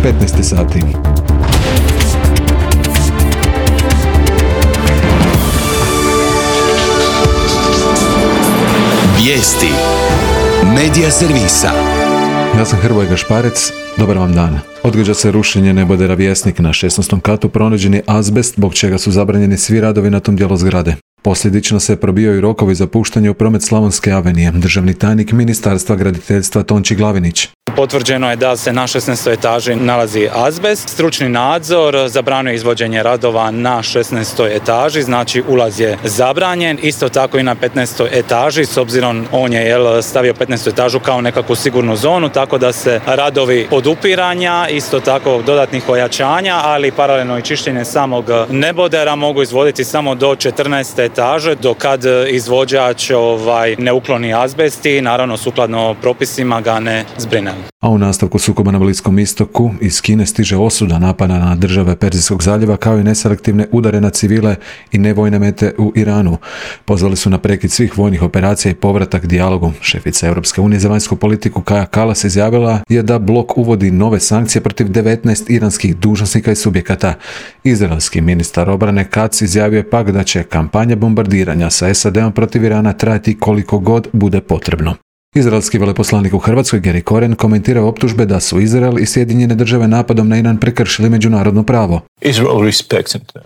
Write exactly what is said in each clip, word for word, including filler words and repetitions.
petnaest sati. Vijesti Medija servisa. Ja sam Hrvoje Gašparec, dobar vam dan. Odgađa se rušenje nebodera Vjesnik. Na šesnaestom katu pronađen je azbest, zbog čega su zabranjeni svi radovi na tom dijelu zgrade. Posljedično se probijaju rokovi za puštanje u promet Slavonske avenije. Državni tajnik Ministarstva graditeljstva Tonči Glavinić. Potvrđeno je da se na šesnaestoj etaži nalazi azbest. Stručni nadzor zabranjuje izvođenje radova na šesnaestoj etaži, znači ulaz je zabranjen. Isto tako i na petnaestoj etaži, s obzirom on je jel, stavio petnaestu etažu kao nekakvu sigurnu zonu, tako da se radovi podupiranja, isto tako dodatnih ojačanja, ali paralelno i čišćenje samog nebodera mogu izvoditi samo do četrnaeste etaže, do kad izvođač ovaj, ne ukloni azbest i naravno sukladno propisima ga ne zbrine. A u nastavku sukoba na Bliskom istoku iz Kine stiže osuda napada na države Perzijskog zaljeva kao i neselektivne udare na civile i nevojne mete u Iranu. Pozvali su na prekid svih vojnih operacija i povratak dijalogu. Šefica Europske unije za vanjsku politiku Kaja Kallas izjavila je da blok uvodi nove sankcije protiv devetnaest iranskih dužnosnika i subjekata. Izraelski ministar obrane Katz izjavio je pak da će kampanja bombardiranja sa S A D-om protiv Irana trajati koliko god bude potrebno. Izraelski veleposlanik u Hrvatskoj Gary Koren komentirao optužbe da su Izrael i Sjedinjene države napadom na Iran prekršili međunarodno pravo.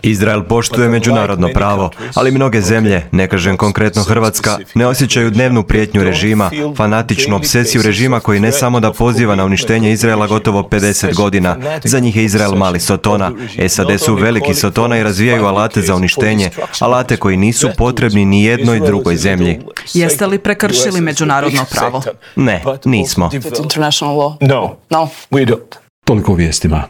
Izrael poštuje međunarodno pravo, ali mnoge zemlje, ne kažem konkretno Hrvatska, ne osjećaju dnevnu prijetnju režima, fanatičnu obsesiju režima koji ne samo da poziva na uništenje Izraela gotovo pedeset godina. Za njih je Izrael mali sotona. S A D su veliki sotona i razvijaju alate za uništenje, alate koji nisu potrebni ni jednoj drugoj zemlji. Jeste li prekršili međunarodno pravo? Ne, nismo. Toliko u vijestima.